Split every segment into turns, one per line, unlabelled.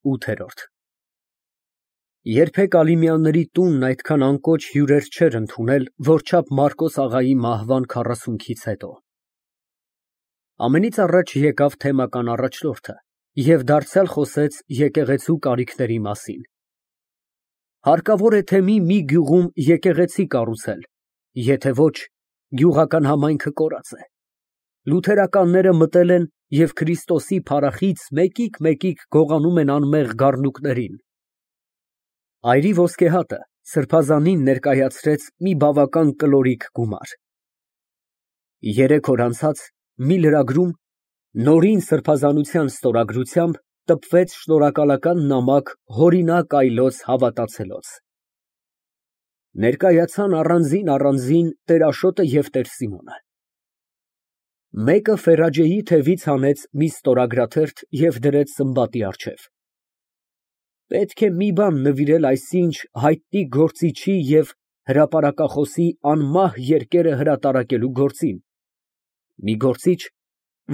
8։ Երբեք Ալիմյանների տունն այդքան անկոչ հյուրեր չէր ընդունել, որչափ Մարկոս աղայի մահվան 40-ից հետո։ Ամենից առաջ եկավ թեմական առաջնորդը և դարձյալ խոսեց եկեղեցու կարիքների մասին։ Հարկավոր է թե մի գյուղում եկեղեցի կառուցել, եթե ոչ, գյուղական համայնքը կորած է։ Լութերականները մտել են և Քրիստոսի փառախից մեկիկ գողանում են անմեղ գառնուկներին։ Այրի ոսկեհատը սրբազանին ներկայացրեց մի բավական կլորիկ գումար։ 3 օր անցած մի լրագրում նորին սրբազանության ստորագրությամբ տպվեց շնորհակալական նամակ հորինակ այլոց հավատացելոց։ Ներկայացան առանձին Տեր-Աշոտը և Տեր Սիմոնը։ Մեկը Ֆերաջեի թևից հանեց մի ստորագրաթերթ և դրեց Սմբատի առջև։ Պետք է մի բան նվիրել այսինչ հայտնի գործչի և հրապարակախոսի անմահ երկերը հրատարակելու գործին, մի գործիչ,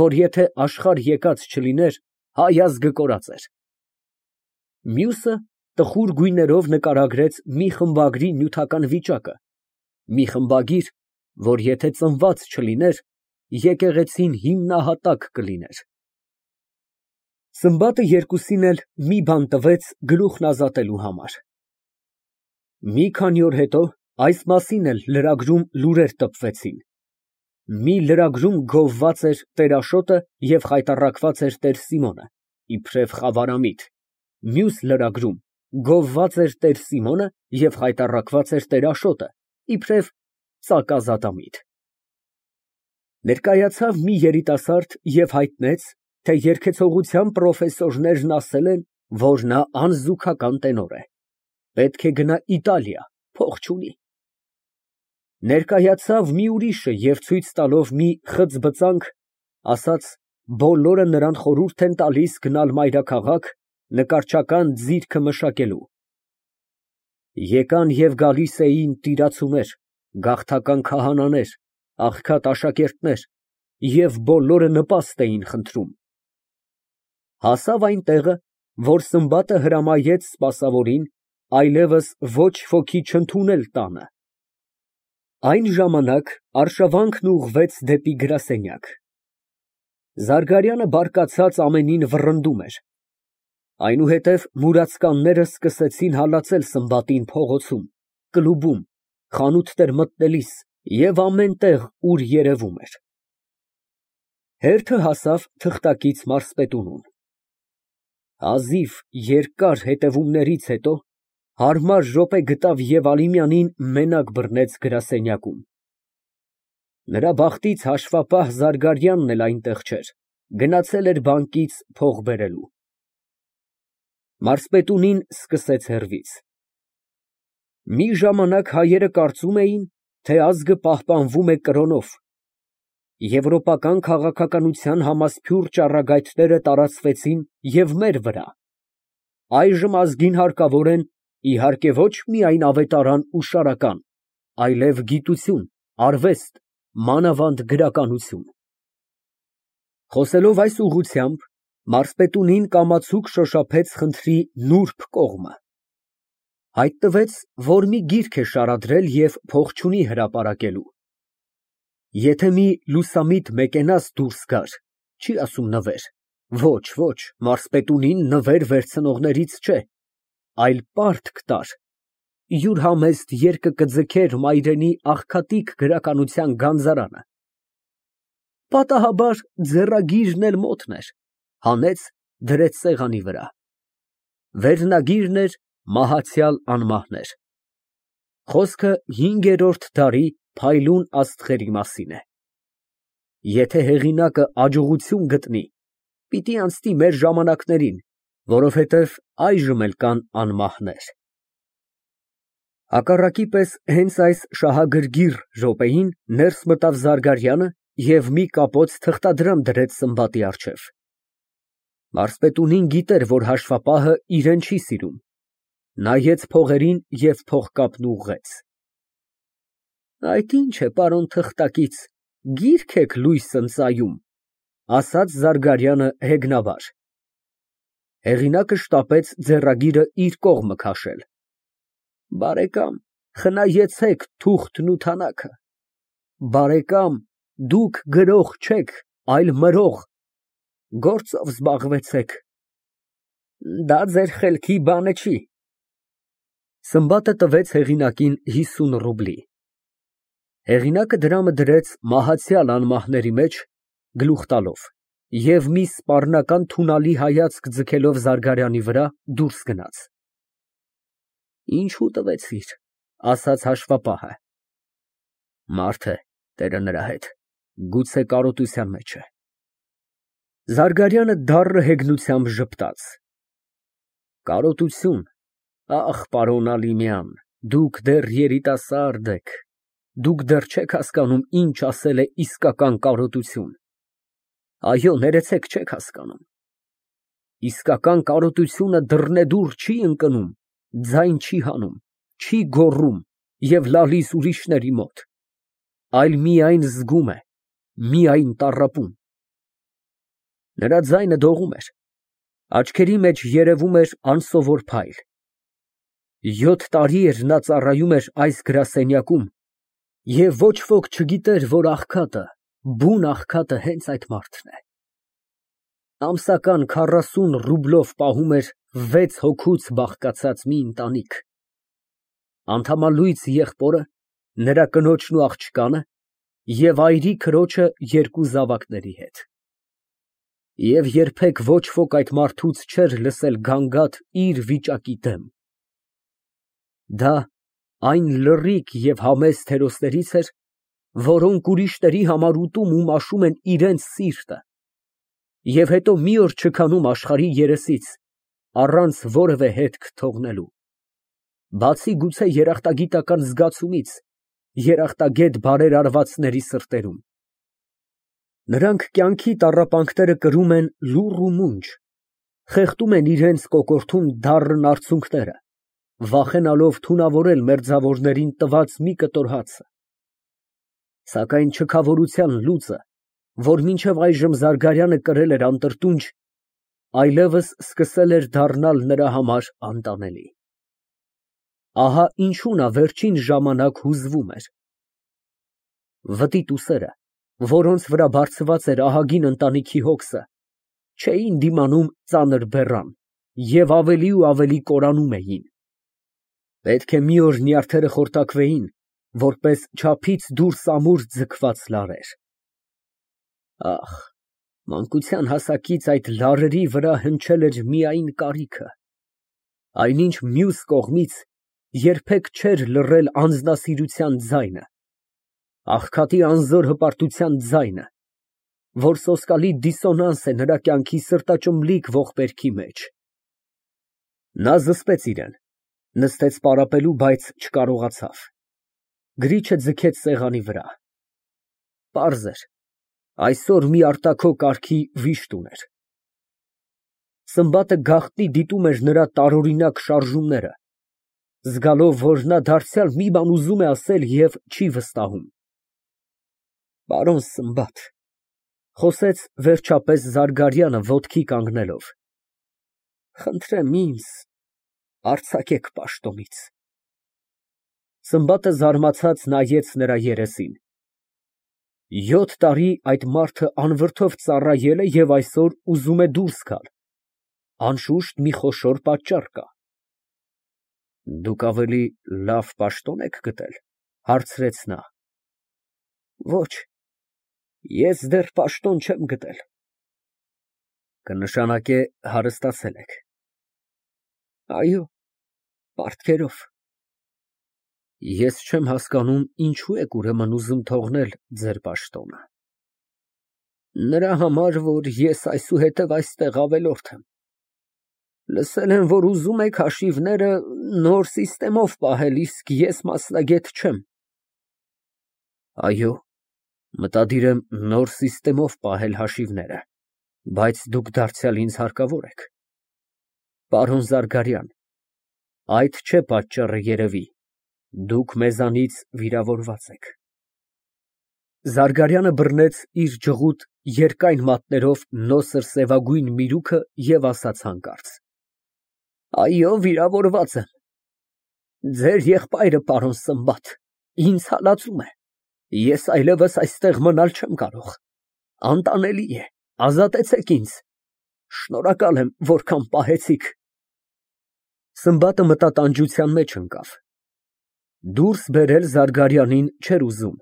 որ եթե աշխարհ եկած չլիներ, հայ ազգը կորած էր։ Մյուսը տխուր գույներով նկարագրեց մի խմբագրի նյութական վիճակը, մի խմբագիր, որ եթե ծնված չլիներ, եկեղեցին հիմնահատակ կլիներ։ Սմբատը երկուսին էլ մի բան տվեց գլուխն ազատելու համար։ Մի քանի օր հետո այս մասին էլ լրագրում լուրեր տպվեցին։ Մի լրագրում գովված էր Տեր-Աշոտը և խայտառակված էր Տեր Սիմոնը, իբրև խավարամիտ, մյուս լրագրում գովված էր Տեր Սիմոնը և խայտառակված էր Տեր-Աշոտը, իբրև ծակազատամիտ։ Ներկայացավ մի երիտասարդ և հայտնեց, թե երգեցողության պրոֆեսորներն ասել են, որ նա անզուգական տենոր է, պետք է գնա Իտալիա, փող չունի։ Ներկայացավ մի ուրիշը և ցույց տալով մի խցբծանք, ասաց բոլորը նրան խորհուրդ են տալիս գնալ մայրաքաղաք նկարչական ձիրքը մշակելու։ Եկան և գալիս էին տիրացուներ, գաղթական քահանաներ, աղքատ աշակերտներ և բոլորը նպաստ էին խնդրում։ Հասավ այն տեղը, որ Սմբատը հրամայեց սպասավորին այլևս ոչ ոքի չընդունել տանը։ Այն ժամանակ արշավանքն ուղղվեց դեպի գրասենյակ։ Զարգարյանը բարկացած ամենին վռնդում էր։ Այնուհետև մուրացկանները սկսեցին հալածել Սմբատին փողոցում, կլուբում, խանութներ մտնելիս և ամեն տեղ, ուր երևում էր։ Հերթը հասավ թղթակից մարզպետունուն։ Հազիվ երկար հետևումներից հետո հարմար րոպե գտավ և Ալիմյանին մենակ բռնեց գրասենյակում։ Նրա բախտից հաշվապահ Զարգարյանն էլ այնտեղ չէր, գնացել էր բանկից փող բերելու։ Մարզպետունին սկսեց հեռվից։ Մի ժամանակ հայերը կարծում էին, թե ազգը պահպանվում է կրոնով։ Եվրոպական քաղաքականության համասփյուռ ճառագայթները տարածվեցին և մեր վրա։ Այժմ ազգին հարկավոր են, իհարկե, ոչ միայն ավետարան ու շարական, այլև գիտություն, արվեստ, մանավանդ գրականություն։ Խոսելով այս ուղղությամբ, մարզպետունին կամացուկ շոշափեց խնդրի նուրբ կողմը։ Հայտնվեց, որ մի գիրք է շարադրել և փող չունի հրապարակելու։ Եթե մի լուսամիտ մեկենաս դուրս գար, չի ասում նվեր, ոչ, մարզպետունին նվեր վերցնողներից չէ, այլ պարտք տար, յուր համեստ երկը կձգեր մայրենի աղքատիկ գրականության գանձարանը։ Պատահաբար ձեռագիրն էլ մոտն էր, հանեց, դրեց սեղանի վրա։ Վերնագիրն էր «Մահացյալ անմահներ»։ Խոսքը 5-րդ դարի փայլուն աստղերի մասին է։ Եթե հեղինակը աջողություն գտնի, պիտի անցնի մեր ժամանակներին, որովհետև այժմ էլ կան անմահներ։ Հակառակի պես հենց այս շահագրգիռ րոպեին ներս մտավ Զարգարյանը և մի կապոց թղթադրամ դրեց Սմբատի առջև։ Մարզպետունին գիտեր, որ հաշվապահը իրեն չի սիրում, նայեց փողերին և փողկապն ուղղեց։ Այդ ի՞նչ է, պարոն թղթակից, գիրք եք լույս ընծայում, ասաց Զարգարյանը հեգնաբար։ Հեղինակը շտապեց ձեռագիրը իր կողմը քաշել։ Բարեկամ, խնայեցեք թուղթն ու թանակը։ Բարեկամ, դուք գրող չեք, այլ մրող, գործով զբաղվեցեք։ Դա ձեր խելքի բանը չի։ Սմբատը տվեց հեղինակին 50 ռուբլի։ Հեղինակը դրամը դրեց մահացյալ անմահների մեջ, գլուխ տալով, և մի սպառնական թունալի հայացք ձգելով Զարգարյանի վրա, դուրս գնաց։ Ինչու տվեցիր, ասաց հաշվապահը։ Մարդ է, տերը նրա հետ, գուցե կարոտության մեջ է։ Զարգարյանը դառն հեգնությամբ ժպտաց։ Կարոտություն, ախ, պարոն Ալիմյան, դուք դեռ երիտասարդ եք, դուք դեռ չեք հասկանում ինչ ասել է իսկական կարոտություն։ Այո, ներեցեք, չեք հասկանում։ Իսկական կարոտությունը դռնեդուռ չի ընկնում, ձայն չի հանում, չի գոռում և լալիս ուրիշների մոտ, այլ միայն զգում է, միայն տառապում։ Նրա ձայնը դողում էր, աչքերի մեջ երևում էր անսովոր փայլ։ 7 տարի էր նա ծառայում էր այս գրասենյակում, և ոչ ոք չգիտեր, որ աղքատը, բուն աղքատը հենց այդ մարդն է։ Ամսական 40 ռուբլով պահում էր 6 հոգուց բաղկացած մի ընտանիք։ Անդամալույծ եղբորը, նրա կնոջն ու աղջկանը և այրի քրոջը 2 զավակների հետ։ Եվ երբեք ոչ ոք այդ մարդուց չէր լսել գանգատ իր վիճակի դեմ։ Դա այն լռիկ և համեստ հերոսներից էր, որոնք ուրիշների համար ուտում ու մաշում են իրենց սիրտը և հետո մի օր չքանում աշխարհի երեսից, առանց որևէ հետք թողնելու, բացի գուցե երախտագիտական զգացումից երախտագետ բարերարվածների սրտերում։ Նրանք կյանքի տառապանքները կրում են լուռ ու մունջ, խեղդում են իրենց կոկորդում դառն արցունքները, վախենալով թունավորել մերձավորներին տված մի կտոր հացը։ Սակայն չքավորության լուծը, որ մինչև այժմ Զարգարյանը կրել էր անտրտունջ, այլևս սկսել էր դառնալ նրա համար անտանելի։ Ահա ինչու նա վերջին ժամանակ հուզվում էր։ Վտիտ ուսերը, որոնց վրա բարձված էր ահագին ընտանիքի հոգսը, չէին դիմանում ծանր բեռան և ավելի ու ավելի կորանում էին։ Պետք է մի օր նյարդերը խորտակվեին, որպես չափից դուրս ամուր ձգված լարեր։ Ախ, մանկության հասակից այդ լարերի վրա հնչել էր միայն կարիքը, այնինչ մյուս կողմից երբեք չէր լռել անձնասիրության ձայնը, աղքատի անզոր հպարտության ձայնը, որ սոսկալի դիսոնանս է նրա կյանքի սրտաճմլիկ ողբերգի մեջ։ Նա զսպեց իրան, նստեց պարապելու, բայց չկարողացավ։ Գրիչը ձգեց սեղանի վրա։ Պարզ էր, այսօր մի արտաքո կարգի վիշտ ուներ։ Սմբատը գաղտնի դիտում էր նրա տարօրինակ շարժումները, զգալով, որ նա դարձյալ մի բան ուզում է ասել և չի վստահում։ Պարոն Սմբատ, խոսեց վերջապես Զարգարյանը ոտքի կանգնելով, խնդրեմ ինձ արձակեք պաշտոնից։ Սմբատը զարմացած նայեց նրա երեսին։ 7 տարի այդ մարդը անվրդով ծառայել է և այսօր ուզում է դուրս գալ, անշուշտ մի խոշոր պատճառ կա։ Դուք ավելի լավ պաշտո՞ն եք գտել, հարցրեց նա։ Ոչ, ես դեռ պաշտոն չեմ գտել։ Կնշանակե հարստացել եք։ Այո, պարտքերով։ Ես չեմ հասկանում, ինչու եք ուրեմն ուզում թողնել ձեր պաշտոնը։ Նրա համար, որ ես այսուհետև այստեղ ավելորդ եմ։ Լսել եմ, որ ուզում եք հաշիվները նոր սիստեմով պահել, իսկ ես մասնագետ չեմ։ Այո, մտադիր եմ նոր սիստեմով պահել հաշիվները, բայց դուք դարձյալ ինձ հարկավոր եք։ Պարոն Զարգարյան, այդ չէ պատճառը երևի, դուք մեզանից վիրավորված եք։ Զարգարյանը բռնեց իր ջղուտ երկայն մատներով նոսր սևագույն միրուքը և ասաց հանկարծ. Այո, վիրավորված եմ։ Ձեր եղբայրը, պարոն Սմբատ, ինձ հալածում է։ Ես այլևս այստեղ մնալ չեմ կարող։ Անտանելի է, ազատեցեք ինձ։ Շնորհակալ եմ, որքան պահեցիք։ Սմբատը մտատանջության մեջ ընկավ։ Դուրս բերել Զարգարյանին չէր ուզում։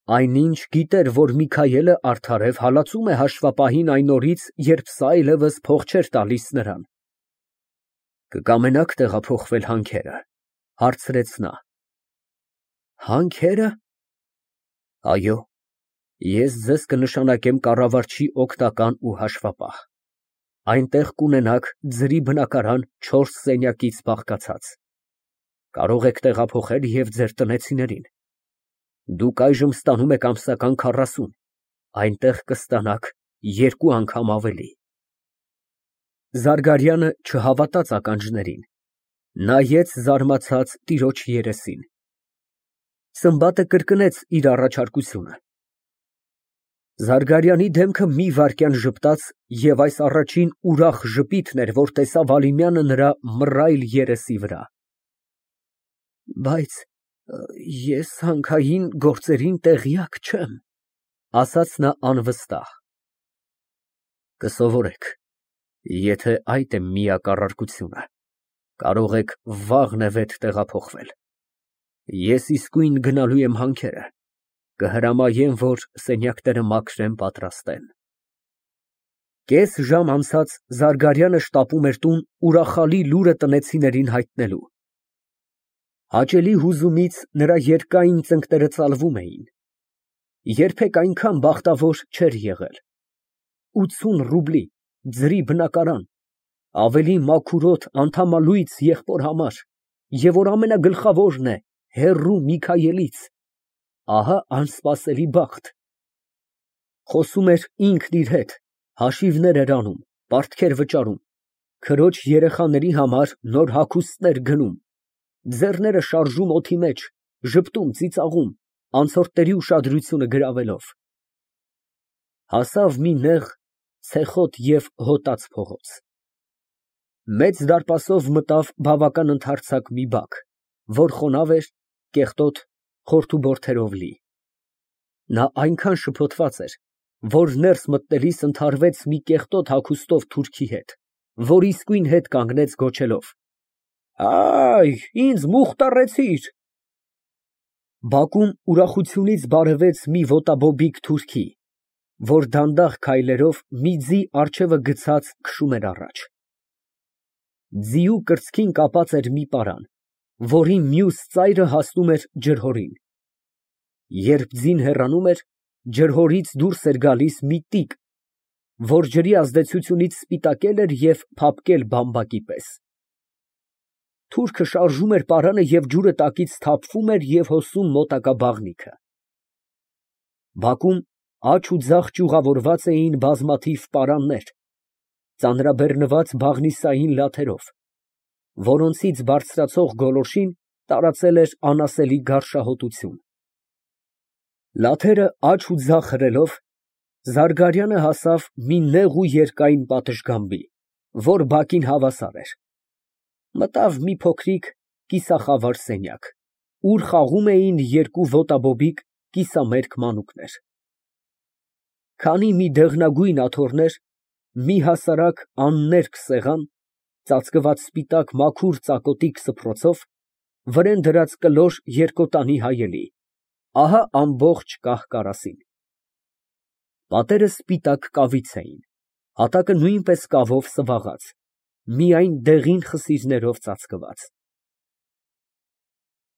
Այնինչ գիտեր, որ Միքայելը արդարև հալածում է հաշվապահին այն օրից, երբ սա այլևս փող չէր տալիս նրան։ Կկամենա՞ք տեղափոխվել հանքերը, հարցրեց նա։ Հանքերը։ Այո, ես ձեզ կնշանակեմ կառավարչի օգնական ու հաշվապահ։ Այնտեղ կունենաք ձրի բնակարան 4 սենյակից բաղկացած։ Կարող եք տեղափոխել և ձեր տնեցիներին։ Դուք այժմ ստանում եք ամսական 40, այնտեղ կստանաք 2 անգամ ավելի։ Զարգարյանը չհավատաց ականջներին, նայեց զարմացած տիրոջ երեսին։ Սմբատը կրկնեց իր առաջարկությունը։ Զարգարյանի դեմքը մի վայրկյան ժպտաց և այս առաջին ուրախ ժպիտն էր, որ տեսավ Ալիմյանը նրա մռայլ երեսի վրա։ Բայց ես հանքային գործերին տեղյակ չեմ, ասաց նա անվստահ։ Կսովորեք, եթե այդ է միակ առարկությունը, կարող եք վաղնևեթ տեղափոխվել։ Ես իսկույն գնալու եմ հանքերը, կհրամայեմ, որ սենյակները մաքրեն, պատրաստեն։ Կես ժամ անցած Զարգարյանը շտապում էր տուն ուրախալի լուրը տնեցիներին հայտնելու։ Հաճելի հուզումից նրա երկայն ծնկները ծալվում էին։ Երբեք այնքան բախտավոր չէր եղել։ 80 ռուբլի, ձրի բնակարան, ավելի մաքուրոտ, անդամալույծ եղբոր համար, և որ ամենագլխավորն է, հեռու Միքայելից, ահա անսպասելի բախտ։ Խոսում էր ինքն իր հետ, հաշիվներ էր անում, պարտքեր վճարում, քրոջ երեխաների համար նոր հագուստներ գնում, ձեռները շարժում օդի մեջ, ժպտում, ծիծաղում, անցորդների ուշադրությունը գրավելով։ Հասավ մի նեղ, ցեխոտ և հոտած փողոց։ Մեծ դարպասով մտավ բավական ընդարձակ մի բակ, որ խոնավ էր, կեղտոտ, խորթուբորդերով լի։ Նա այնքան շփոթված էր, որ ներս մտնելիս ընդհարվեց մի կեղտոտ հագուստով թուրքի հետ, որ իսկույն հետ կանգնեց գոչելով. Այ, ինձ մուխտարեցիր։ Բակում ուրախությունից բարևեց մի ոտաբոբիկ թուրքի, որ դանդաղ քայլերով մի ձի առջևը գցած քշում էր առաջ։ Ձիու կրծքին կապած էր մի պարան, որի մյուս ծայրը հասնում էր ջրհորին։ Երբ ձին հեռանում էր, ջրհորից դուրս էր գալիս մի տիկ, որ ջրի ազդեցությունից սպիտակել էր և փափկել բամբակի պես։ Թուրքը շարժում էր պարանը և ջուրը տակից թափվում էր և հոսում մոտակա բաղնիքը։ Բակում աջ ու ձախ ճյուղավորված էին բազմաթիվ պարաններ, ծանրաբեռնված բաղնիսային լաթերով, որոնցից բարձրացող գոլորշին տարածել էր անասելի գարշահոտություն։ Լաթերը աջ ու ձախ հրելով, Զարգարյանը հասավ մի նեղ ու երկայն պատշգամբի, որ բակին հավասար էր։ Մտավ մի փոքրիկ կիսախավար սենյակ, ուր խաղում էին 2 ոտաբոբիկ կիսամերկ մանուկներ։ Քանի մի դեղնագույն աթոռներ, մի հասարակ աններկ սեղան, ծածկված սպիտակ մաքուր ծակոտիկ սփռոցով, վրեն դրած կլոր երկոտանի հայելի, ահա ամբողջ կահ֊կարասին։ Պատերը սպիտակ կավից էին, հատակը նույնպես կավով սվաղած, միայն դեղին խսիրներով ծածկված։